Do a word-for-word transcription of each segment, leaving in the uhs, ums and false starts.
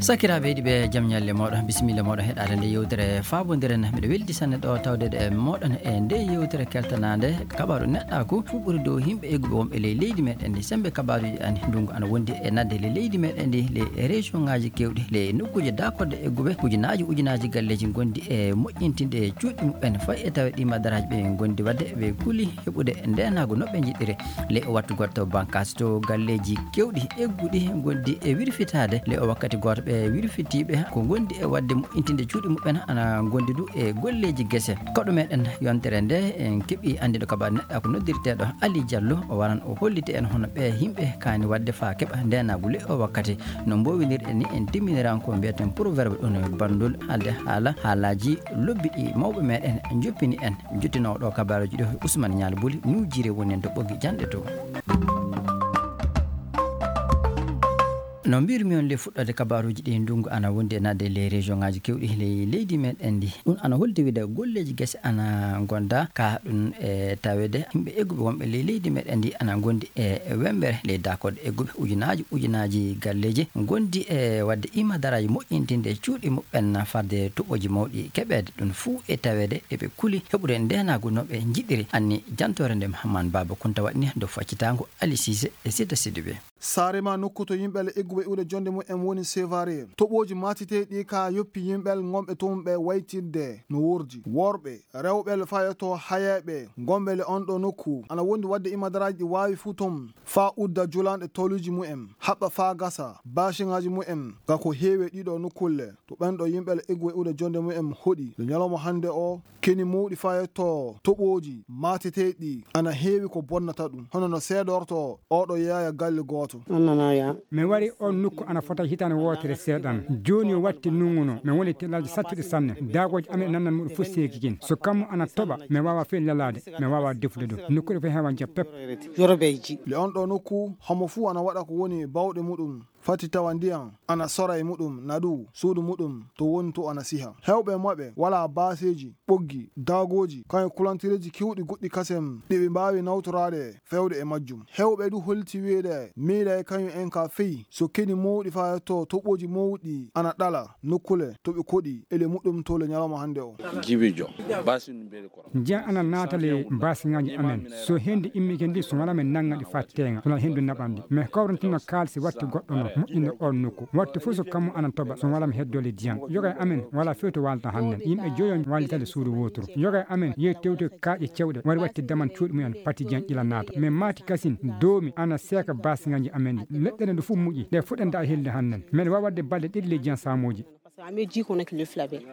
Sakiraaɓe yiɗɓe, jam ñalle mooɗon, bisimilla mooɗon heɗaade nde yewtere faabondire. Miɗo weldi sanne ɗo tawde e mooɗon e nde yewtere keltanaande kabaaru neɗɗaaku, fuu ɓuri dow yimɓe egguɓe wonɓe ley leydi meɗen ndi. Semmbe kabaaruuji ɗi, ndunngu ana wondi e naatde ley leydi meɗen ndi, ley région ŋaaji keewɗi, ley nokkuuje daakoɗe egguɓe, ujunaaji ujunaaji galleeji ngondi e moƴƴintinde cuuɗi muɓɓen, fayi e tawe ɗi madaraaji ɓe ngondi waɗde, ɓe kuli heɓude ndeenaagu no ɓe njiɗiri. Ley o wattu gooto, to bankaas to galleeji keewɗi egguɗi ngondi e wirfitaade. Ley o wakkati gooto, ɓe wirfitiiɓe ko ngondi e waɗde moƴƴintinde cuuɗi muɓɓen ana ngondi du e golleeji gese. Koɗo meɗen yontere nde, en keɓi anndiɗo kabaaru neɗɗaaku noddirteeɗo Ali Diallo. O waran o holliti en hono ɓe yimɓe kaani waɗde faa keɓa ndeenaagu ley o wakkati. No mboowinirɗen ni, en timminiran ko mbiyeten proverbe ɗum e banndol haalde haala haalaaji lobbi ɗi mawɓe meɗen njoppini en. Jottinoowo ɗo kabaaruuji ɗo, Ousmane Ñaali Buli, Nuujiire woni en to ɓoggi janɗe to. No mbirmi on, le fuɗɗoode kabaaruuji ɗi, ndunngu ana wondi e naatde ley région ŋaaji keewɗi ley leydi meɗen ndi. Ɗum ana holdi wiide golleeji gese ana ngonda ka ɗum e taweede yimɓe egguɓe wonɓe ley leydi meɗen ndi ana ngondi e wembere ley daakoɗe egguɓe, ujunaaji ujunaaji galleeji ngondi e waɗde imadaraaji moƴƴintinde cuuɗi muɓɓen fadde toɓooji mawɗi keɓeede. Ɗum fuu e taweede eɓe kuli heɓude ndeenaagu no ɓe njiɗiri. Anni jantoore nde Mahamman Baaba Kunta waɗni dow faccitaango Ali Siise e Sida Sidibe. Saare ma nokku to yimɓe Alla egguɓe iwde jonde mumen woni Sevare. Toɓooji matiteeɗi ka yoppi yimɓe ngonɓe toon ɓe waytidde no wordi. Worɓe, rewɓe le fayoto hayeeɓe ngonɓe le on ɗo nokku. Ana wondi waɗde imadaraaji ɗi waawi fuu toon. Faa udda julanɗe toluuji mumen, haɓɓa faa gasa, baasiŋaaji mumen, ga ko heewi e ɗiɗo nokkulle. To ɓen ɗo yimɓe le egguɓe iwde jonde mumen hoɗi. Le ñalawma hannde o, keni mawɗi faa yetto toɓooji maateteeɗi ana heewi ko bonnata ɗum, hono no seedorto oɗo yeeya galle gooto. Annanaya. Mi wari on nokku ana fota hitaande wootere seeɗan. Jooni o watti nunguno. Mi woni tellaaji sattuɗi sanne. Daagooji amen nannan muɗum fof seeki kin. So kammu ana toɓa, mi waawa fey lalaade, mi waawa defude ɗum. Nokkuure fof heewa njam pep. Yorobeeji. Le on ɗo nokku, homo fuu ana waɗa ko woni bawɗe muɗum. Fati tawa ndiyan ana sora e muɗum, nadu suudu muɗum to woni to ana siha. Heewɓe maɓɓe walaa baaseeji, ɓoggi, daagooji, kañum kulantireeji keewɗi goɗɗi kasen ɗi ɓe mbaawi nawtoraade feewde e majjum. Heewɓe du holti wiyeede miila e kañum en ka fey so keni mawɗi faa yetto toɓooji mawɗi ana ɗala nokkule to ɓe koɗi ele muɗum to le ñalawma hannde o. Jibijo, basi no mbele ko. Njiyan ana naata le baasiŋaaji amen. So hendu immike ndi, so wala men nannga ɗi faa teeŋa, so wala hendu naɓan ɗi. Mi kawrantino kaalisi watti goɗɗo no moƴƴinde on nokku. Watti fof so kammu ana toɓa, so wala mi heddoo le diyan. Yoga e amen wala few to waalta hannen. Yimɓe joyo waalita le suudu wooturu. Yoga e amen yehi tewtoy kaaƴe cewɗe, wari watti daman cuuɗi mumen, pati diyan ƴila naata. Min maati kasin, doomi ana seeka baasiŋaaji amen ɗi. Leɗɗe ɗe ɗo fof muƴi, ɗe fuɗɗanta helde hannen. Men waawa waɗde balɗe ɗiɗi le diyan saamooji.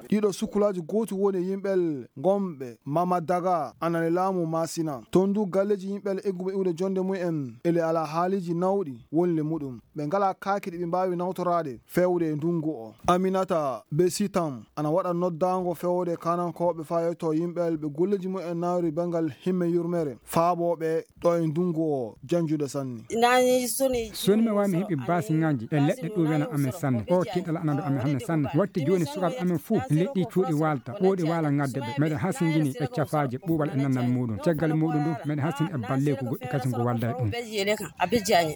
Ɗiɗo sukkulaaji gooti woni yimɓe ngonɓe Mama Daga ana le laamu Masina. Toon du galleeji yimɓe egguɓe iwde jonde mumen ele ala haaliiji nawɗi woni le muɗum. Ɓe ngalaa kaaki ɗi ɓe mbaawi nawtoraade feewde e ndunngu o. Aminata Besitam ana waɗa noddaango feewde kanankooɓe faa yetto yimɓe ɓe golleeji mumen nawri banngal himme yurmere faabooɓe ɗo e ndunngu o janjude sanne. Soni mi waawi mi heɓi baasiŋaaji e leɗɗe ɗum wena amen sanne. O tiiɗal ana ɗo amen hannde sanne. Watti jooni sukaaɓe amen fuu leɗɗi cuuɗi waalta, ɓooɗi waala ŋadde ɓe. Meɗen hasingini ɓe cafaaje ɓuuɓal e nannal muɗum. Caggal muɗum du, meɗen hasini e balleeku goɗɗi kasin ko walda e ɗum.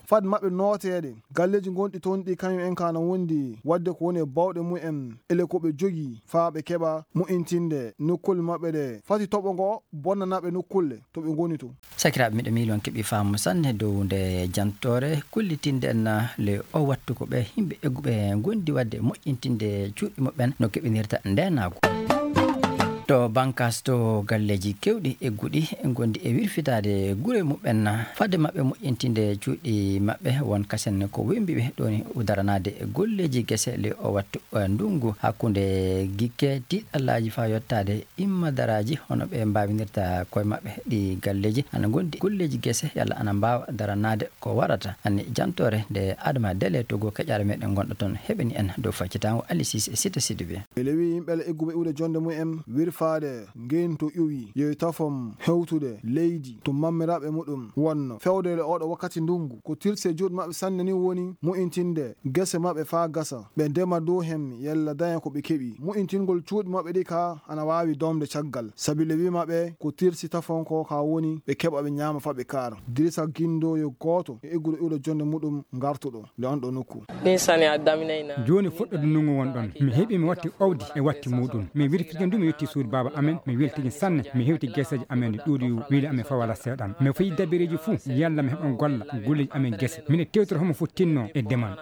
Fad maɓɓe nooteede, galleeji gonɗi toon ɗi kañum en ka na wondi, wadde ko woni e bawɗe mumen, ele ko ɓe jogii, faa ɓe keɓa moƴƴintinde nokkule maɓɓe ɗe. Fati toɓo ngo bonnana ɓe nokkulle to ɓe ngoni to. Sakiraaɓe, miɗo miili on keɓi faamu sanne dow nde jantoore. Kullitinde en le o wattu ko ɓe yimɓe egguɓe ngondi wadde moƴƴintinde cuuɗi muɓɓen no keɓinirta ndeenaagu. To bankaas to galleeji keewɗi egguɗi ngondi e wirfitaade gure muɓɓen, fadde maɓɓe moƴƴintinde cuuɗi maɓɓe, won kasen ko wembi ɓe ɗoni daranaade golleeji gese le o wattu, eh, ndunngu hakkunde gikke tiiɗallaaji faa yottaade immadaraaji hono ɓe mbaawinirta koye maɓɓe ɗi galleeji. Ana ngondi golleeji gese yalla ana mbaawa daranaade ko warata. Anni jantoore nde Adama Dele Togo keƴaare meɗen gonɗo toon heɓani en dow faccitaango Ali Sise e Sita Sidibe. Ele wi yimɓe le egguɓe iwde jonde mumen, wir Faade ngeen to iwi, yo tafom hewtude leydi to mammiraɓe muɗum wonno. Fewde e oɗo wakkati ndungu, ko tirse juuɗe maɓɓe sanne ni woni mu'intinde gese maɓɓe faa gasa. Ɓe ndema dow hemmi, yalla daña ko ɓe keɓi. Mu'intingol cuuɗi maɓɓe ɗi ka ana waawi doomde caggal. Sabi le wi maɓɓe ko tirsi tafon ko ka woni, ɓe keɓa ɓe ñaama faa ɓe kaara. Dirisa Gindo yo gooto e egguɗo iwɗo jonde muɗum ngartuɗo le on ɗo nokku. Ɗin sani a daminay na. Jooni fuɗɗo dunnuŋo won ɗon. Mi heɓi mi watti owdi e watti muɗum. Mi wirfike ndu mi yetti suudu baaba amen. Mi weltike sanne. Mi hewti geseeji amen ɗi ɗuuɗi wili amen fawala seeɗan. Mi fayi dabireeji fuu. Yalla mi heɓan golla. Golleeji amen gese. Mine tewtoro homo fottinno e demal.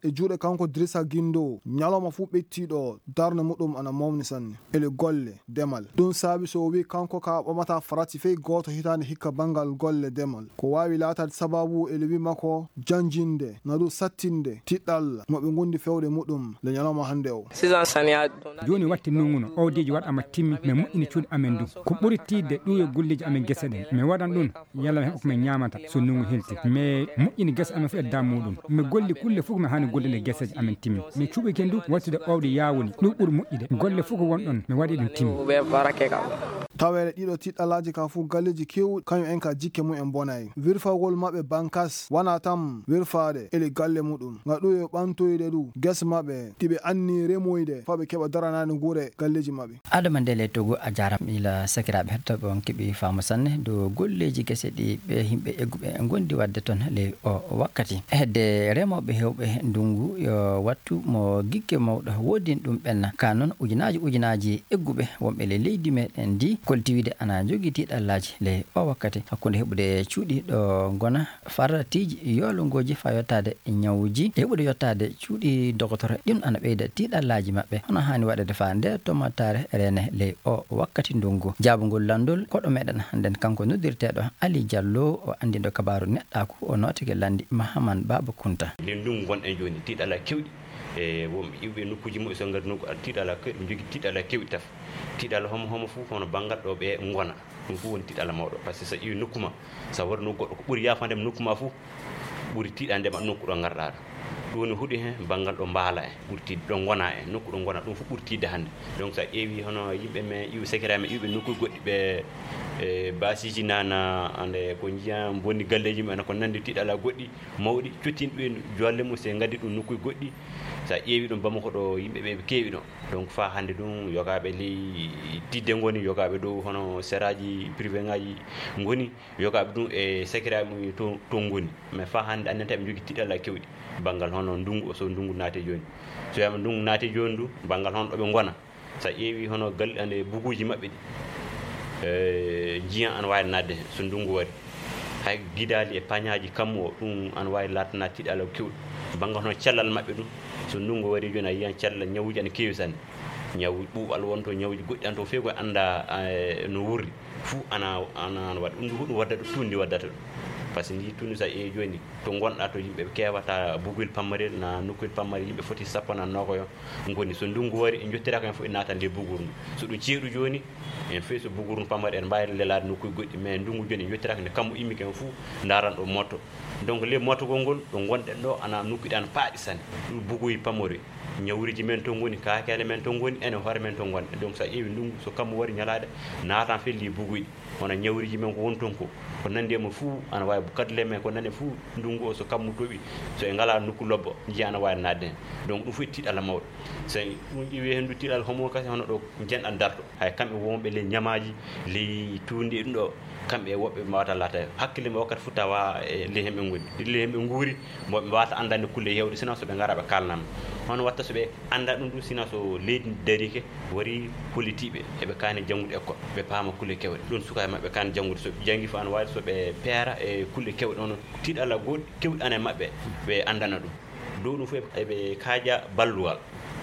E juuɗe kanko Dirisa Gindo, ñalawma fuu ɓettiiɗo darnde muɗum ana mawni sanne. Ele golle, demal. Ɗum saabi so o wi'i kanko ka ɓamata farati fey gooto hitaande hikka banngal golle demal. Ko waawi laataade sababu ele wi makko janjinde, na ɗum sattinde, tiɗɗal mo ɓe ngondi fewde muɗum le ñalawma hannde o. Sisan sani a donna. Jooni watti nunguno, owdeeji waɗama timmi, mi moƴƴini cuuɗi amen du. Ko ɓuri tiiɗde ɗum yo golleeji amen gese ɗen. Mi waɗan ɗum. Yalla mi heɓa ko min ñaamata so ndunngu helti. Mi moƴƴini gese amen fof e dam muɗum. Mi golli kulle fof ko mi haani gollude geseeje amen timmi. Mi cuɓike ndu wattude owdi yaawuli. Ɗum ɓuri moƴƴude. Golle fof ko won ɗon, mi waɗi ɗum timmi. Taweede ɗiɗo tiɗɗalaaji ka fof galleeji keewɗi, kañum en ka jikke mum en bonay. Wirfagol maɓɓe bankas, wona tan wirfaade ele galle muɗum. Nga ɗum yo ɓantoyde ɗum gese maɓɓe, ɗi ɓe anni remoyde, faa ɓe keɓa daranaade nguure galleeji maɓɓe. Adama Ndele Togo a jaaraama ila sakiraaɓe hettooɓe on keɓi faamu sanne dow golleeji gese ɗi ɓe yimɓe egguɓe ngondi waɗde toon ley o wakkati. Hedde remooɓe heewɓe ndunngu yo wattu mo gigge mawɗo woodin ɗum ɓenna. Ka noon ujunaaji ujunaaji egguɓe wonɓe ley leydi meɗen ndi koltiwide ana jogii tiiɗallaaji ley o wakkati hakkunde heɓude cuuɗi ɗo ngona faratiiji yoolongooji faa yottaade ñawuuji e heɓude yottaade cuuɗi dogotoro. Ɗum ana ɓeyda tiiɗallaaji maɓɓe. Hono haani waɗede faa nde tomattaare reene ley o wakkati ndunngu. Jaabungol lanndol koɗo meɗen hannden kanko noddirteeɗo Ali Jallo o anndinɗo kabaaru neɗɗaaku o nootike lanndi Mahaman Baaba Kunta. Nden ndunngu ngonɗen jooni tiiɗalla kewɗi e wonɓe iwɓe nokkuuji muɓɓe so ngari nokku tiiɗalla kewɗi ɓe njogii tiiɗalla kewɗi taf. Tiiɗalla homo homo fof hono banngal ɗo ɓe ngona. Ɗum fof woni tiiɗalla mawɗo. Par ce que so iwi nokku ma, so wari nokku goɗɗo ko ɓuri yaafande mo nokku ma fof, ɓuri tiiɗande ma nokku ɗo ngarɗaa ɗo. Ɗum woni huɗi heen banngal ɗo mbaala en, ɓuri tiiɗde ɗo ngona en, nokku ɗo ngona ɗum fof ɓuri tiiɗde hannde. Donc so a ƴeewi hono yimɓe men iwɓe sakiraaɓe men iwɓe nokkuuji goɗɗi ɓe e baasiiji nana ande ko njiyan bonni galleeji mumen ko nanndi tiiɗalla goɗɗi mawɗi cottinɗi ɓe jolle mum so ngaddi ɗum nokkuuji goɗɗi. So a ƴeewi ɗum Bamako ɗo yimɓe ɓe keewi ɗo. Donc faa hannde ɗum yogaaɓe ley tiiɗde ngoni, yogaaɓe dow hono seraaji privé ŋaaji ngoni, yogaaɓe ɗum e sakiraaɓe mum to, to ngoni. Mais faa hannde anndenta ɓe njogii tiiɗalla kewɗi. Banngal hono ndunngu o so ndunngu naati jooni. So wiyaama ndunngu naati jooni ndu, banngal hono ɗo ɓe ngona. So a ƴeewi hono gal-, ande buguuji maɓɓe ɗi, e, njiyan ana waawi naatde heen so ndunngu wari. Hay gidaali e pañaaji kammu o, ɗum ana waawi laatana tiiɗalla kewɗi. Banngal hono cellal maɓɓe ɗum, so ndunngu wari jooni a yiyan cellal ñawuuji ana keewi sanne. Ñaw ɓuuɓal won to, ñawuuji goɗɗi ana to, feewi ko annda, e, no wurri. Fuu ana, ana, ana waɗa. Ɗum ɗum huɗum waddata ɗum, tuundi waddata ɗum. Par ce que ndi tuundi so a ƴeewi jooni, to ngonɗaa to yimɓe ɓe keewata buguyel pammarel, na nokkuyel pammarel, yimɓe foti sappo na noogayo ngoni. So ndunngu wari, en njottiraaka en fof, en naatan nde buguru ndu. So ɗum ceeɗu jooni, en fey so buguru ndu pammari, en mbaawi lelaade nokkuuji goɗɗi, mais ndunngu jooni en njottiraaka nde kammu immike en fof, ndaaran ɗo motto. Donc, le mottogol ngol, ɗo ngonɗen ɗo, ana nokkuuji ɗi ana paaɗi sanne. Ɗum buguyi pammori. Ñawriiji men to ngoni, kaakeele men to ngoni, enen hoore men to ngonɗen. Donc, so a ƴeewi ndunngu, so kammu wari ñalaade, naatan felli buguyi. Hono ñawriiji men ko woni toon ko, ko nanndi e mum fuu ana waawi, kadle men ko nanndi fuu, ndunngu o so kammu toɓi, so en ngalaa nokku lobbo, njiya ana waawi naatde heen. Donc, ɗum fof e tiiɗalla mawɗo. So en ɗum ƴeewi heen ndu tiiɗalla homo kasi, hono ɗo njenɗan darto. Hay kamɓe wonɓe ley ñamaaji, ley tuundi e ɗum ɗo, kamɓe e woɓɓe ɓe mbaawata laataade. Hakkille mum wakkati fof tawa e ley heen ɓe ngoni. Ley heen ɓe nguuri, mo ɓe mbaawata anndande kulle heewɗe, sinaa so ɓe ngaraa ɓe kaalnaa ma. Hono watta so ɓe annda ɗum ɗum, sinaa so leydi ndi dariike, wari hollitiiɓe eɓe kaani janngude école, ɓe paama kulle keewɗe. Ɗum sukaaɓe maɓɓe kaani janngude, so ɓe janngii fof ana waawi so ɓe peera e kulle keewɗe, hono tiiɗalla goɗɗi keewɗi ana e maɓɓe, ɓe anndana ɗum. Dow ɗum fof eɓe kaaja ballugal.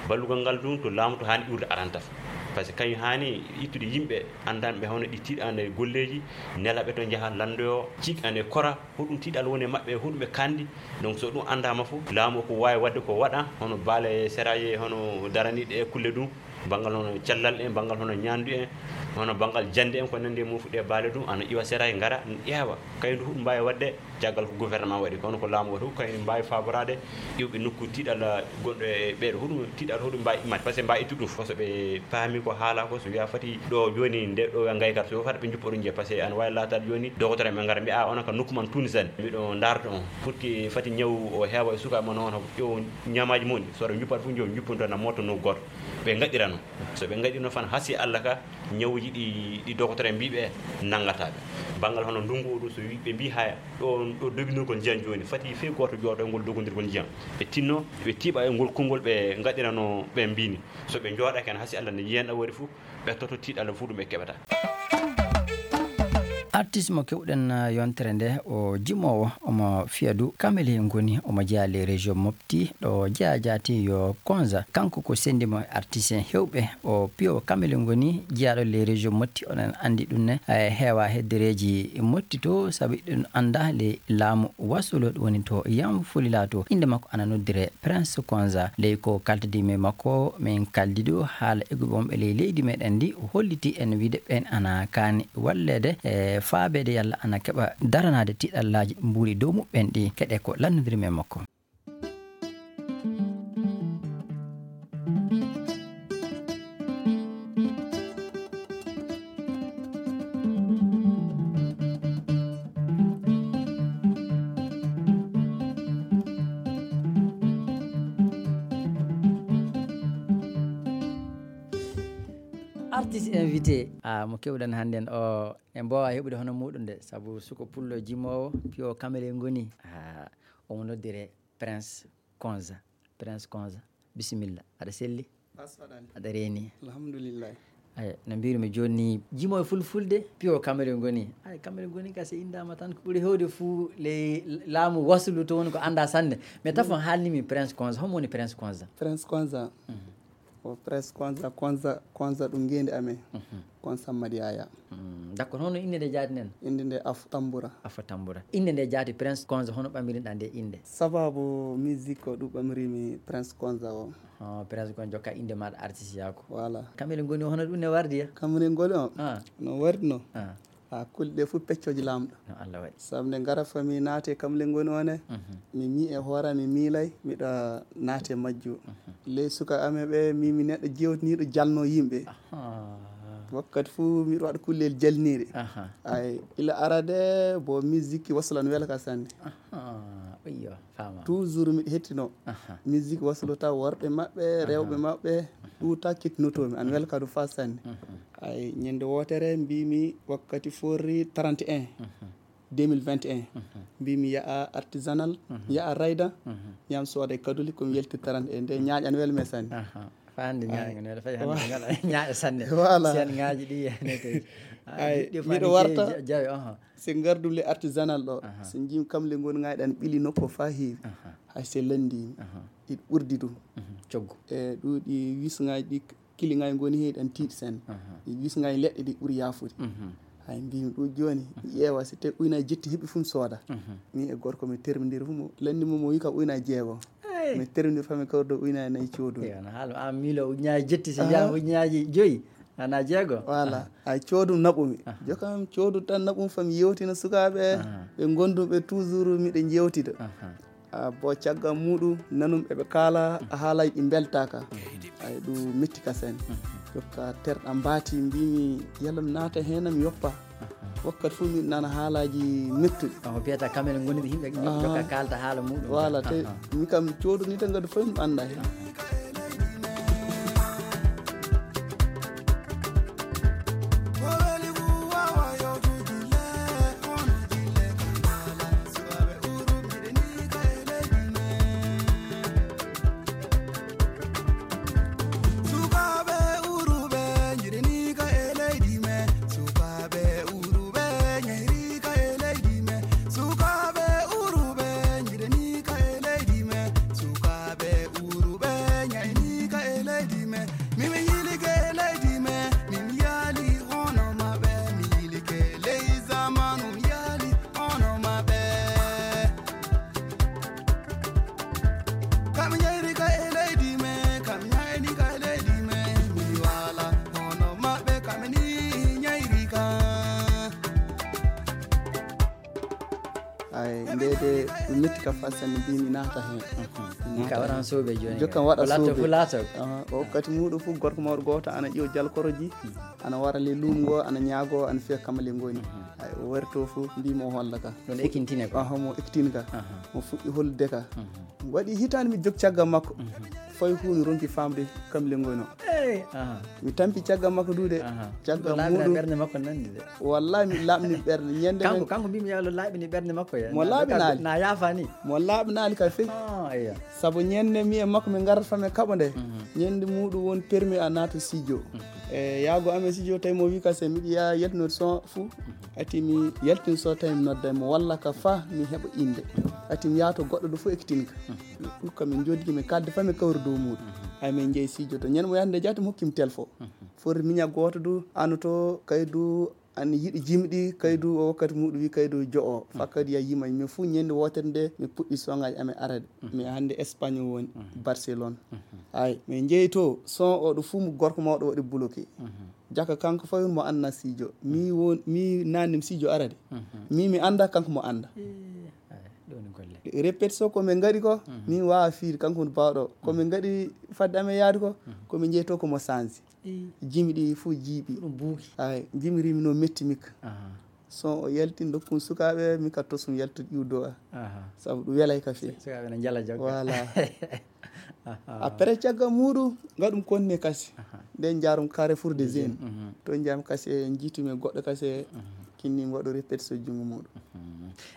Ballugal ngal ɗum to laamu to haani iwrude aranta. Par ce que kañum haani ittude yimɓe anndanɓe hono ɗi tiiɗande golleeji, nela ɓe to njaha lanndoyo, ciiɗande kora, hoɗum tiiɗalla woni e maɓɓe, hoɗum ɓe kaandi. Donc, so ɗum anndaama fof, laamu o ko waawi waɗde ko waɗa, hono baale seraaji, hono daraniiɗe e kulle ɗum, banngal hono cellal en, banngal hono ñaandu en, Hono banngal jannde en ko nanndi e mum fuɗɗe baale ɗum, ana iwa sera e ngara, ƴeewa. Kay ndu huɗo mbaawi waɗde, caggal ko gouvernement waɗi, kono ko laamu waɗi, ko kañum mbaawi faaboraade iwɓe nokku tiiɗalla gonɗo e ɓeeɗo, huɗum tiiɗalla huɗum mbaawi immaade, par ce que mbaawi ittude ɗum fof. So ɓe paami ko haala ko, so wiya fati ɗo jooni nde ɗo ngaykata, so fati ɓe njuppa ɗum njiya, par ce que ana waawi laataade jooni, dogotoro en ɓe ngara mbiya, "A, onon kam nokku man tuunisani, miɗo ndaarta on, pour que fati ñaw o heewa e sukaaɓe mon on, ƴeew ñamaaji mon ɗi, so ɓe njuppat fof, njow njuppunto na mooto nokku gooto." Ɓe ngaɗirano. So ɓe ngaɗirno fan, hasi Allah ka, ñawuji ɗi, ɗi dogotoro en mbiɓe nanngata ɓe. Banngal hono ndungu oɗo, so wi-, ɓe mbi haya, ɗo, ɗo doginirgol ndiyam jooni, fati fii gooto jooɗo e ngol dogondirgol ndiyam. Ɓe tinno, ɓe tiiɓa e ngol konngol ɓe ngaɗirano ɓe mbini. So ɓe njooɗake hen, hasi Allah ne yiyan ɗa waɗi fof, ɓe toto tiiɗalla fof ɗum ɓe keɓata. Artiste mo keɓɗen, uh, yontere nde, o jimoowo, omo fiya du Kamele ngoni, omo jeyaa les régions Mopti, ɗo jeyaa jaati yo Konza. Kanko ko sendi mo artiste en hewɓe, o piyo Kamele ngoni, jeyaaɗo les régions Mopti, oɗon anndi ɗum ne, eh, heewa heddereeji Mopti to, sabu ɗum annda le laamu Wasolo, ɗum woni to Yam Fulila to. Innde makko ana noddire Prince Konza. Ley ko kaltidi men makko, min kaldi ɗo haala egguɓe wonɓe ley leydi meɗen ndi, o holliti en wiide ɓen ana kaani walleede e faabeede yalla ana keɓa daranaade tiiɗallaaji mbuuɗi dow muɓɓen ɗi. Keɗe ko lannodiri men makko. Artiste invité, ah, mo keɓɗen hannden o, en mbaawa heɓude hono muɗum de, sabu suko pullo jimoowo, piyo Kamele ngoni. Ah, omo noddire Prince Konza. Prince Konza, bisimilla. Aɗa selli? Aɗa reeni? Alhamdulillah. Ay, no mbirumi jooni ni, jimoowo fulfulde, piyo Kamele ngoni. Ay, Kamele ngoni ka se indaama tan, ko ɓuri hewde fuu ley laamu Wasulu to woni ko annda sanne. Mais tafon haalnimi Prince Konza, homo woni Prince Konza? Prince Konza. Mhm. O Prince Konza, Konza, Konza ɗum ngeendi amen. Mhm. Konza Madiaya. Mm, d'accord, hono innde nde jaati nden? Innde nde Afo Tambura. Afo Tambura. Innde nde jaati Prince Konza, hono ɓamirinɗa nde innde? Sababu musique ko ɗum ɓamirimi Prince Konza o. Oh, Prince Konza, jokka innde maaɗa artiste yaako. Voilà. Kamele ngoni o, hono ɗum ne wardi ya? Kamele ngoni o? Ah. No wardi no? Ah. Ha kulle ɗe fof peccooji Laamɗo. No Allah waɗi. Sabu nde ngara fami naate Kamele ngoni o ne, mhm, mi mii e hoore am, mi miilay, miɗa naate majju. Mhm. Ley suka amen ɓe, mi, mi neɗɗo jewtiniiɗo jalno yimɓe. Aha. Wakkati fof miɗo waɗa kullel jalniiɗe. Aha. Ay, ila arade bo musique Wasula no wela ka sanne. Aha, iyo, fama. Toujours miɗo hettino. Aha. Musique Wasula taw worɓe maɓɓe, aha, rewɓe maɓɓe, aha, ɗum taw kettinotoomi. An wela ka ɗum fa sanne. Mhm. Ay, ñande wootere mbimi wakkati forri trente et un, mhm, deux mille vingt et un. Mhm. Mbimi yaha artisanal, mhm, yaha rayda, mhm, ñam sooda e kaduli, komi yalti trente et un. Nde ñaaƴan wel me sanne. Aha. Fa hannde ay, ñaaƴan wel, fay hannde wa-, ngal ñaaƴa sanne. Voilà. Sen ngaaji ɗi ne kay. Ay, ay, miɗo warta ja-, jawe, aha. Se ngardum le artisanal ɗo. Aha. Se jim kam le ngon ngayɗan ɓili nokko fa heewi. Aha. Hay se lanndimi. Aha. Iɗ ɓurdi ɗum. Mhm. Coggu. E ɗuuɗi wisngaaji ɗi kiliŋaaji ngoni heen ɗan tiiɗi sanne. Aha. E wisngaaji leɗɗe ɗi ɓuri yaafude. Mhm. Hay mbimi ɗum jooni, mi ƴeewa si tawi uyna jetti heɓi fuu mi sooda. Mhm. Min e gorko mi termindiri fuu mo lanndi mo, mo wi ka uyna jeego. Hey! Mi termindiri fa mi kawri ɗo uyna nayi coodu. Eyo, no haala, an miilo ujunnaaji jetti, so ah, wiyaama ujunnaaji joyi, ana jeego. Voilà. Ah. Ay coodu naɓumi. Ah. Jokam coodu tan naɓum fa mi yewtina sukaaɓe, ah, ɓe ngondum ɓe toujours miɗo jewtida. Ah. A bo caggal muɗum nanum eɓe kaala a haalaaji ɗi mbeltaaka. Ay ɗum metti ka sen. Jokka terɗa mbaati mbimi yalla mi naata heen mi yoppa. Wakkati fof miɗo nana haalaaji mettuɗi. Omo biyata kamel ngoni yimɓe, yimɓe ah, jokka kaalta haala muɗum. Voilà, te ah, mi kam coodoni tan ngadi fof mi annda heen. Ɗum metti ka faa sanne, mbiimi naata heen. Min ka waɗan soobee jooni. Jokkan waɗa soobee. Fof laata. O wakkati muuɗum fof, gorko mawɗo gooto ana ƴeew jalkoroji, ana wara le luumo ngo, ana ñaagoo, ana fiya kamale ngoni. Ay, o wari to fof, mbiimi o holla ka. Ɗum ekintine ko? Aha, mo ekintine ka. Mo fuɗɗi hollude ka. Waɗi hitaande mi jog caggal makko. Fawi huunde ronki faamde kamle ngoni o. Mi tampi caggal makko duude. Caggal muuɗum. Ɓernde makko nanndi de. Wallahi mi laaɓni ɓernde. Ñande kanko, kanko mbiimi yo Allah laaɓini ɓernde makko ya. Mo laaɓinaali. Na yaafaani. Mo laaɓinaali ka fey. Sabu ñande mi e makko mi ngarata fa mi kaɓa nde. Ñande muuɗum won permis a naata studio. E yaago amen studio tawi mo wi ka se miɗo yaa yaltinoɗo son fuu. Ati mi yaltin so tawi mi nodda mo walla ka fa mi heɓa innde. Ati mi yaato goɗɗo ɗo fof ekkitinka. Ɗum kam min jooɗi mi kalde fa mi kawri dow muuɗum. Ay min jeyi studio to ñande mo yahde jaati mo hokki mi telefo. Foti miña gooto du ano to kay du an yiɗi jimɗi kay du o wakkati muuɗum wi kay du jo'o. Fa kadi ya yima min fuu ñande wootere nde mi puɗɗi songaaji amen arade. Mi hannde Espagne woni, Barcelone. Ay min jeyi to son o ɗo fuu mo gorko mawɗo waɗi bloqué. Jaka kanko fawi mo anna sijo. Mi won mi nanni sijo arade. Mi mi anda kanko mo anda. Ɗoni golle. Répétition ko min ngaɗi ko, min waawa fiide kanko woni baawɗo. Ko min ngaɗi fadde amen yaade ko, ko min jeyi to ko mo sansi. Jimi ɗi fof jiiɓi. Ɗum buuki. Ay, jimi rimi no metti mikka. Son o yaltin dokkun sukaaɓe, mi ka tosum yaltude iwdo a. Sabu ɗum welay ka fii. Sukaaɓe ne njala jogga. Voilà. Après caggal muuɗum ngaɗum konne kasi. Nden jaarum Carrefour des Jeunes. To jam kasi e jiitumi e goɗɗo kasi e kinni mi waɗu répétition junngo muuɗum.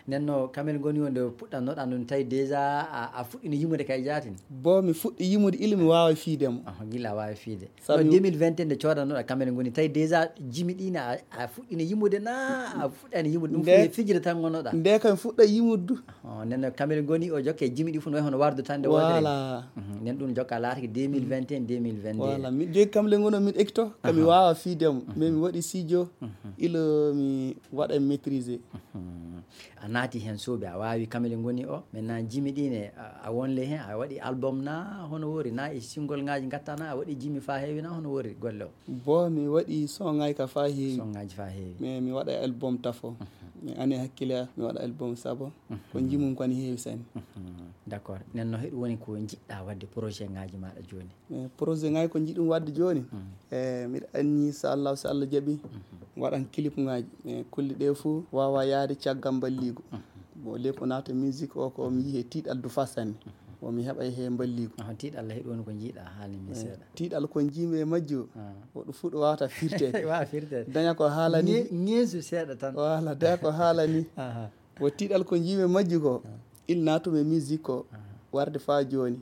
Nden no kamel ngoni wonde puɗɗannoɗa ɗum tawi déjà a, a fuɗɗino yimude kay jaatin. Bo mi fuɗɗi yimude ila mi waawa fiide mo. Gila a waawi fiide. Sabu no deux mille vingt et un nde coodannoɗa kamel ngoni tawi déjà jimi ɗi ne a, a fuɗɗino yimude na a fuɗɗani yimude ɗum fof fijira tan ngonoɗa. Nde kam fuɗɗa yimude du. Nden no kamel ngoni o jokke jimi ɗi fof no way hono wardu tan nde wootere. Voilà. Nden ɗum jokka laatake deux mille vingt et un deux mille vingt-deux. Voilà mi jogi kamle ngono min ekto kami waawa fiidemo mais mi waɗi sijo ilo mi waɗa maîtriser. A naati heen soobi a waawi kamel ngoni o mais na jimi ɗi ne a wonle heen a waɗi album na hono wori na e single ngaji gatta na a waɗi jimi fa heewi na hono wori golle o? Bo mi waɗi songaaji ka fa heewi. Songaaji fa heewi. Mais mi waɗa album tafo. Mi ani hakkille mi waɗa album sabo. Ko jimum ko ne heewi sanne. D'accord nden no heɗum woni ko jiɗɗa wadde projet ngaji maɗa joni? E projet ngaji ko jiɗum wadde joni e miɗa anni so allah so allah jaaɓi waɗan clip ngaji e kulle ɗe fof wawa yaade caggal balligo. Bon le ko naata musique o ko mi yihe tiiɗal du fa sanne. Bon mi heɓay he balligo. Tiiɗal he ɗon ko jiiɗa haalni mi seeɗa. Tiiɗal ko jiimi e majji o woɗo fuɗo wawata firtede. Wawa firtede daña ko haalani. Ŋeesu seeɗa tan. Wala daña ko haalani. Wo tiiɗal ko jiimi e majji ko il naatumi e musique o warde fa joni.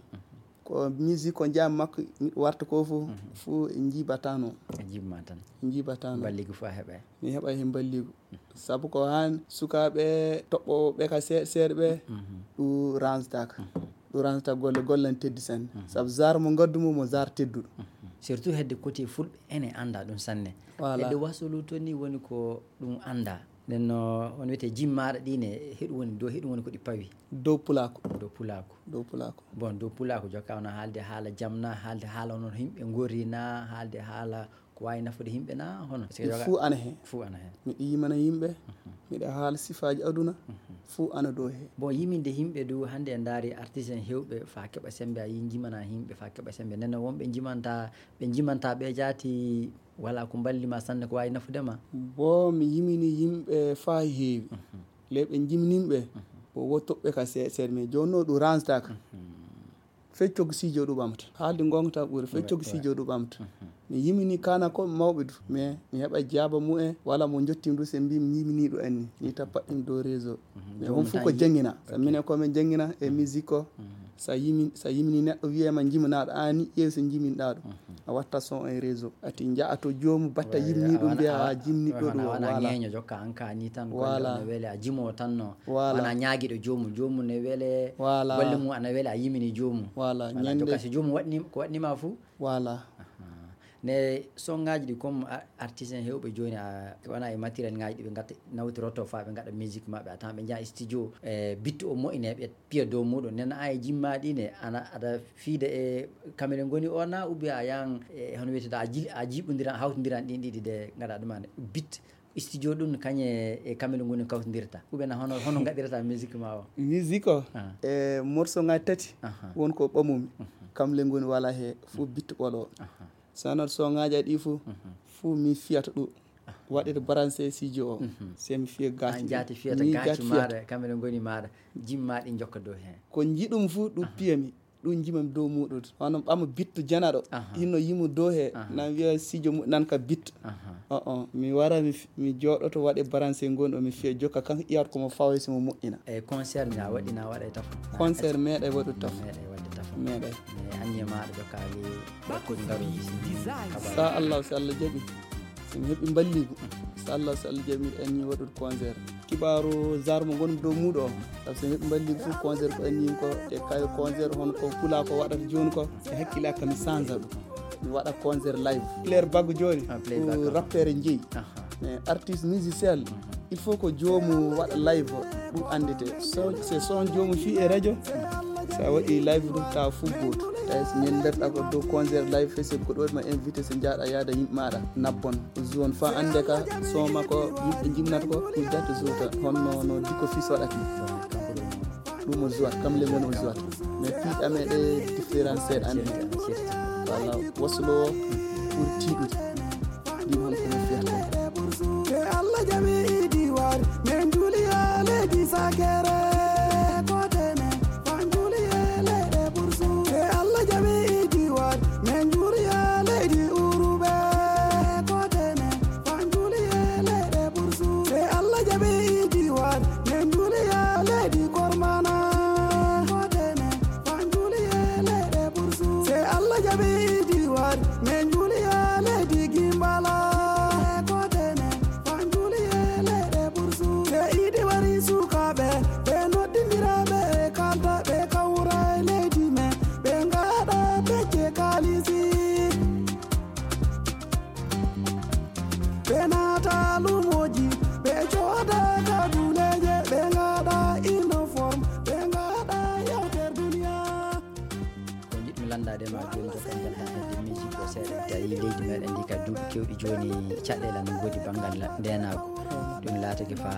Ko musique ko jam makko warta ko fof fof e jiibatano. E jiibma tan. Jiibatano balligi fof a heɓay. Mi heɓay hen balligu. Sabu ko han sukaaɓe toɓɓooɓe ka seeɗa seeɗa ɓe ɗum ransataka. Ɗum ransata golle golle ne teddi sanne. Sabu zar mo ngaddu mo mo zar tedduɗo. Surtout hedde côté fulɓe ene anda ɗum sanne. Voilà. Hedde wasulu to ni woni ko ɗum anda. Nden no on wiyete jimmaɗa ɗi ne heɗum woni do heɗum woni ko ɗi pawi. Dow pulako. Dow pulako. Dow pulako. Bon dow pulako jokka on haalde haala jamna haalde haala onon yimɓe gorina haalde haala ko wawi nafude yimɓe na hono? Ɗi fuu ana hen. Fuu ana hen. Miɗo yimana yimɓe miɗo haala sifaji aduna. Fuu ana dow he. Bon yiminde yimɓe du hande en daari artiste en hewɓe fa keɓa sembe a yi jimana yimɓe fa keɓa sembe nden no wonɓe jimanta ɓe jimanta ɓe jaati. Wala ko mballima sanne ko wawi nafudema? Bo mi yimini yimɓe fa heewi. Le ɓe jimnimɓe o wo toɓɓe ka seeɗa seeɗa mais joni no ɗum ransataka. Fecco ko sijo ɗum ɓamta haalde gonga tan ɓuuri fecco ko sijo ɗum ɓamta. Mi yimini kana ko mawɓe du mais mi heɓa jaaba mumen wala mo jottim du se mbi mi yimini ɗum anni ni ta paɗɗim dow réseau. Mais on fof ko jangina sa minen komin jangina e musique o. Sa yimi sa yimini neɗɗo wiyema jimanaɗo ani ƴeew so jiminɗa ɗum a watta son e réseau ati jaa to joomu batta yimni ɗum mbiya a jimni ɗo ɗum wala ñeeño jokka an ka ni tan ko no weli a jimo tan no wala ñaagiɗo joomu joomu ne wele wala golle mum ana weli a yimini joomu wala ñande jokka so joomu waɗni ko waɗnima fou wala. Ne songaji ɗi comme artiste en hewɓe joni a wona e matériel ngaji ɗi ɓe gatta nawtiroto fa ɓe gaɗa musique mabɓe a tawan ɓe jaa studio e bittu o moƴine ɓe piya dow muɗum nen an e jimmaɗi ne ana aɗa fiida e kamere goni o na ou bien a yahan e hono wiyetede a ji a jiɓodiran a hawtodiran ɗin ɗiɗi de gaɗa ɗumane bit Studio ɗum kañe e kamɓe ngoni kawtindirta? Ou bien hono, hono ngaɗirta musique ma o? Musique o, ah, e morceau ngaji tati, aha, won ko ɓamumi. Mhm. Kam le ngoni wala he, fof, mhm, bittu ɓolo. Aha. Sanat so ngaji ɗi fof, mhm, fof mi fiyata ɗum. Aha. Waɗede branché studio o. Mhm. Se mi fiya gaci. An jaati fiyata mi gaci gaci fiyata maɗa, kamɓe ngoni maɗa. Jimma ɗi jokka dow hen. Ko jiɗum fof ɗum, aha, piyami. Ɗum jimam dow muɗum. Hono ɓama bittu janaɗo. Aha. Hino yimu dow he. Aha. Nan wiya sijo mu-, nan ka bittu. Aha. O, o, mi wara, mi f-, mi jooɗoto waɗe branché ngon ɗo, mi fiya jokka kan iyat ko mo fawi si mo moƴƴina. E concert mi a waɗi na waɗa e tafo? Concert meeɗa e waɗu tafo. Meeɗa e waɗde tafo. Meeɗa. E anniya maɗa jokka li waɗde ngaru. Sa Allah, si Allah jaɓi. So mi heɓi mballigu, so Allah, so Allah jaɓi, miɗo anni waɗude concert. Kibaaru zarmo ngonmi dow muuɗo o, sabu so mi heɓi mballigu fof, concert ko anni ko e kayo concert, hono ko pula ko waɗata jooni ko, e hakkille am, mi change ɗum. Mi waɗa concert live. Player Baggo jooni, ah, Player ko Baggo, rappeur jeyi. Aha. Mais artiste musicien, il faut ko joomu waɗa live o, ɗum anndete. So, so son joomu fii e radio, so a waɗi live ɗum, tawa fof gooto. Tawi so min mberɗa ko dow concert live festival, ko ɗo ma invité, so jaaɗa yaada yimɓe maɗa, nabbon. Zone fa annde ka, son makko, yimɓe jimnata ko, ɗum date zota. Honno no Dicko Fils waɗata ni. Ɗum o jouat, kam le mon o jouat. Mais piiɗa me ɗe différence seeɗa annde. Voilà, waslo o ɓuri tiiɗude. Ɗin hol kono fiyata. E Allah jaɓi diwar, men juli e leydi sakere. Kote men, fan juli e leyɗe bursu. E Allah jaɓi diwar, men juli e leydi urube. Kote men, fan juli e leyɗe bursu. E Allah jaɓi diwar, men juli e leydi kormana. Kote men, fan juli e leyɗe bursu. Se Allah jaɓi diwar, men juli e leydi gimbala. Kote men, fan juli e leyɗe bursu. Se idi wari sukaɓe, ɓe noddindira ɓe kalda, ɓe kawra e leydi men, ɓe ngaɗa pecce kalisi. Ɓe naata lumoji, ɓe cooda kaduleje, ɓe ngaɗa uniform, ɓe ngaɗa yewter duniya. Ko jiɗmi lanndade ma jooni, jokkal ngal tan hedde musique o seeɗa. Tawi leydi meɗen ndi ka duuɓi kewɗi jooni, caɗeele ana ngoodi banngal ndeenaagu. Ɗum laatake fa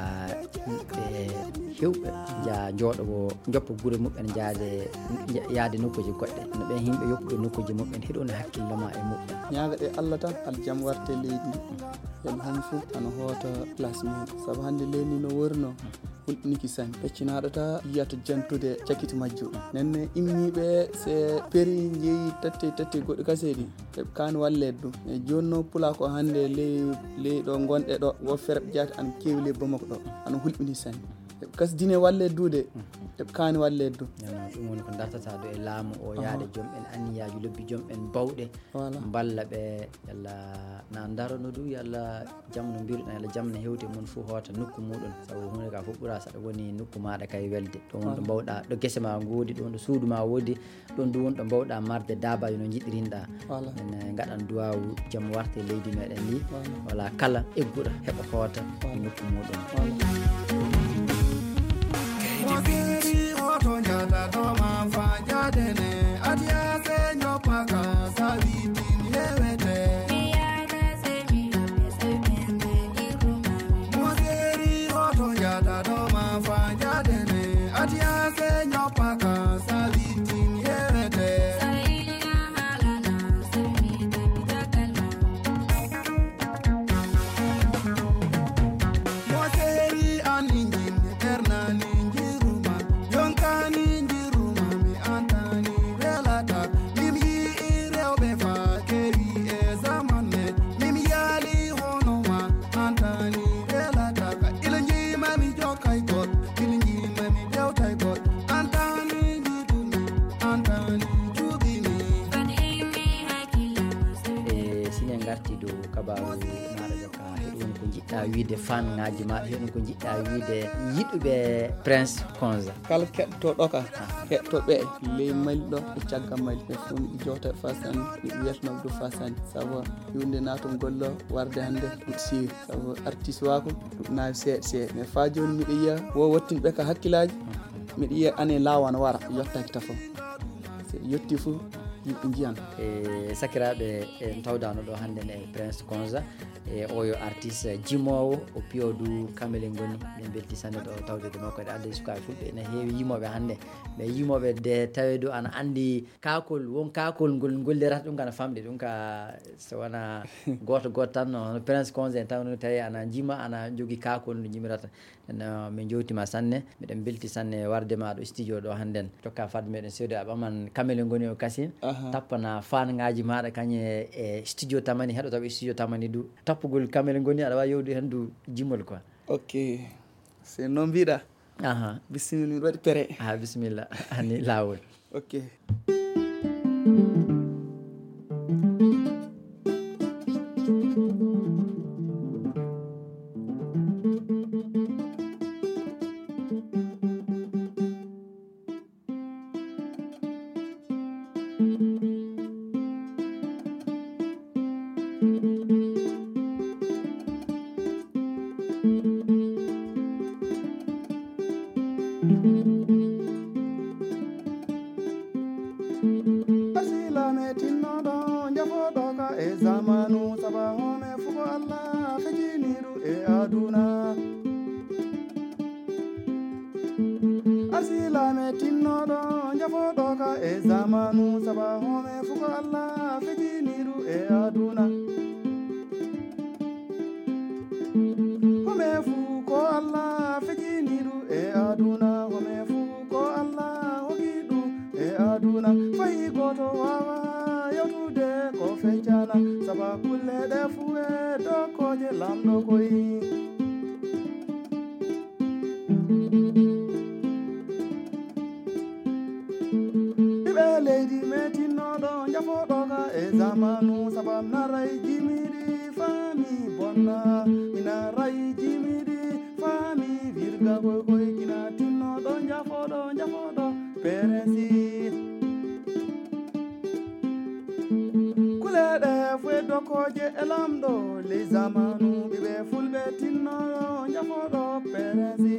ɓe hewɓe nja-, jooɗo wo joppa gure muɓɓen, jaade, nja-, yaade nokkuuji goɗɗe. No ɓen yimɓe yoppuɓe nokkuuji muɓɓen, hiɗo woni hakkille ma e muɓɓen. Ñaaga ɗe Allah tan, aljam warte leydi ndi. Ɓen hon fof ana hoota place mum. Sabu hannde leydi ndi no wori no, hulɓiniki sanne. Peccinaaɗo ta yiyata jantude cakiti majjo. Nenne immiiɓe se peri njeyi tatte, tatte goɗɗo kaseeɗi. Eɓe kaani walleede ɗum. E jooni no pula ko hannde ley, ley ɗo ngonɗe ɗo, wo ferɓe jaati ana keewi ley Bamako ɗo. Ana hulɓini sanne. Eɓe kasdine walleede duude, eɓe kaani walleede du. Nana, ɗum woni ko dartata ɗo e laamu o, aha, yaade joom en anniyaaji lobbi, joom en bawɗe, voilà, mballa ɓe, yalla na ndarono du, yalla jam no mbiruɗen, yalla jam no hewti, mon fof hoota nokku muɗum. Sabu huunde ka fof ɓura saɗa woni nokku maɗa kay welde. Ɗon woni ɗo, voilà, mbawɗa, ɗo gese ma ngoodi, ɗon ɗo suudu ma woodi, ɗon du woni ɗo mbawɗa marde daabaji no njiɗirinɗa. Voilà. En, eh, ngaɗan duwawu jam warte leydi meɗen ndi. Voilà. Wala kala egguɗo heɓa hoota, voilà, e nokku muɗum. Voilà. Mo seeri hoto jata to ma fa jadene, adiya se nyopa ka sabitin yewete. Mo seeri hoto jata to ma fa jadene, adiya se nyopa ka sabitin yewete. Mo seeri an injin, ernani njiruma, jonkani njiruma, mi antani welata. Min yi'i rewɓe fa kewi e zaman men. Min yaali hono ma, antani welata. Ila njima mi jokkay goɗɗo, ila njima mi dewtay goɗɗo. Antani njidumi, antani cuɓimi. E sine ngarti dow kabaru maɗa ɗo ka, heɗo woni ko jiɗɗa wiide fan ngaji ma, heɗo woni ko jiɗɗa wiide yiɗuɓe Prince Konza. Kala keɗotoɗo ka, heɗotoɓe ley Mali ɗo, e caggal Mali, ɓe fof miɗo jowta e Fasan, miɗo wiyata Abdou Fasan, sabu iwde naton golle o, warde hannde ɗum siwi, sabu artiste wa ko ɗum naawi seeɗa seeɗa, mais fa jooni miɗo yiya wo wattin ɓe ka hakkillaji, miɗo yiya ane lawana wara, yottaki tafo. So yetti fof, Yimɓe njiyan. E sakiraaɓe, en tawdaano ɗo hannde e Prince Konza. E oyo artiste jimoowo, o piyo du kamele ngoni. Min belti sanne ɗo tawde makko. Eɗe adde sukaaɓe fulɓe ene heewi yimooɓe hannde. Mais yimooɓe de tawe du ana anndi kaakol, won kaakol ngol ngollirata ɗum kana famɗi ɗum ka, so wona gooto gooto tan, no hono Prince Konza en taw no tawi ana jima, ana jogi kaakol no jimirata. No, min jowtima sanne, miɗen belti sanne warde ma ɗo studio ɗo hannden. Tokka fadde meɗen seedo a ɓaman kamele ngoni o kasin. Aha. Tappana fan ngaji maɗa kañe e studio tamani, heɗo taw e studio tamani du. Tappugol kamele ngoni aɗa wawi yewde hen du jimol quoi. Ok. C'est non mbiɗa. Aha. Bisimilla, miɗo waɗi pere. Ah, bisimilla. Ani lawol. Ok. Arsilaame tinnoɗo, jafooɗo ka e zamanu, saba home fuko Allah fijiniru e aduna. Arsilaame tinnoɗo, jafooɗo ka e zamanu, saba home fuko Allah fijiniru e aduna. Home fu ko Allah fijiniru e aduna, home fu ko Allah hogi ɗum e aduna. Fayi goto wawa yewtude ko feccana, saba kulle ɗe fu e dokoje lamɗo koyi. Ɓiɓɓe leydi metinnoɗo, jafooɗo ka e zamanu, sabam na ray jimiɗi fami bonna, ina ray jimiɗi fami virga koy koy, kina tinnoɗo, jafooɗo, jafooɗo, perensi. Kuleɗe fue dokoje e lamɗo ley zamanu, ɓiɓɓe fulɓe tinnoɗo, jafooɗo, perensi.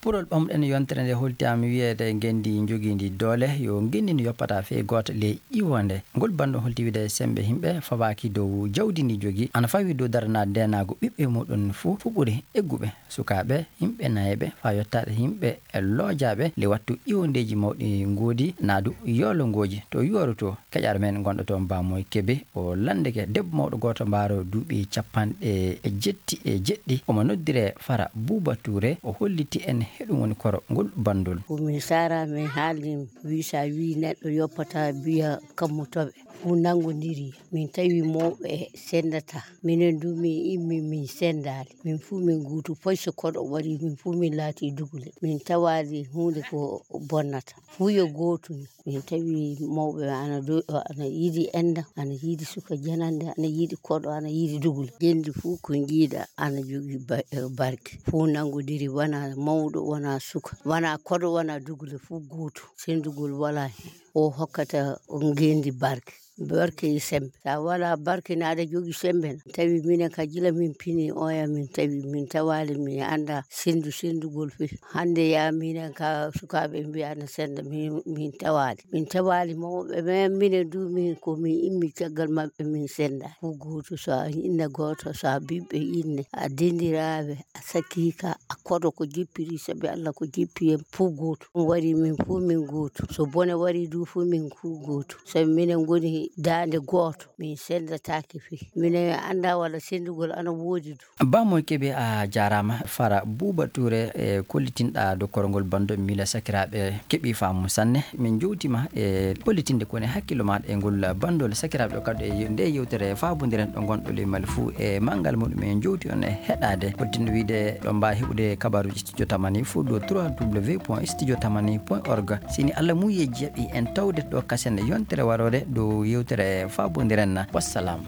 Puɗol ɓamɗen yontere nde holti am wiyeede ngenndi njogiindi doole, yo ngenndi ndi yoppata fey gooto ley ƴiwonde. Ngol banndum holti wiide semmbe yimɓe fawaaki dow jawdi ndi jogii, ana fawi dow daranaade ndeenaagu ɓiɓɓe muɗum fuu, fuɓɓude egguɓe, sukaaɓe, yimɓe nayeeɓe, faa yottaade yimɓe e loojaaɓe le wattu iwondeeji mawɗi ngoodi, naadu yoolongooji to yooro to. Keƴaɗo men gonɗo toon Bamoy Kebe, o lanndike debbo mawɗo gooto mbaaro duuɓi capanɗe jetti e jeɗɗi. Omo noddire Fara Buuba Tuure, o holliti en heɗum woni koro ngol banndol. Ko min Sara, min haaldi, wi sa wi neɗɗo yoppata biya kammutoɓe. Fuu nanngondiri. Min tawi mawɓe sendata. Minen du min immi min sendaali. Min fuu min guutu, foy so koɗo waɗi, min fuu min laati dugule. Min tawaali huunde ko bonnata. Fuu yo gootum. Min tawi mawɓe ana do-, ana yiɗi enɗam, ana yiɗi suka janande, ana yiɗi koɗo, ana yiɗi dugule. Ngenndi fuu ko njiiɗa ana jogii ba-, eh, barke. Fuu nanngondiri, wona mawɗo, wona suka, wona koɗo, wona dugule, fuu gootum. Senndugol walaa heen. O hokkata ngenndi barke. Barke e semmbe. So a walaa barke, ne aɗa jogii semmbe na. Tawi minen ka jila min pini oya, min tawi, min tawaali, min annda senndu, senndugol fii. Hannde ya minen ka sukaaɓe mbiya na sennda, min, min tawaali. Min tawaali mawɓe, mais minen du min ko min immi caggal maɓɓe, min sennda. Ko gooto, so a inna gooto, so a ɓiɓɓe inne, a dendiraaɓe, a sakiika, a koɗo ko jippiri, sabi Allah ko jippi en fuu gooto. Ɗum waɗi min fuu min gooto. So bone waɗi du fuu min fuu gooto. Sabi minen ngoni daande gooto, min senndataake fii. Minen annda walla senndugol ana woodi du. Bamo Kebe, a jaaraama. Fara Buuba Tuure, e kollitinɗa dokkorgol banndo, miila sakiraaɓe keɓii faamu sanne. Min njowtima e kollitinde ko woni hakkillo maaɗa e ngol banndol. Sakiraaɓe ɗo kadi e nde yewtere faabondiren ɗo ngonɗo ley Mali fuu e manngal muɗum en njowti on e heɗaade. Kollitinde wiide ɗo mbaa heɓude kabaruuji Studio Tamani fuu ɗo trois W point studio tamani point org. Sini Allah muye jaɓi en tawde ɗo kasen yontere waroore dow yewtere faabondiren. Wassalam.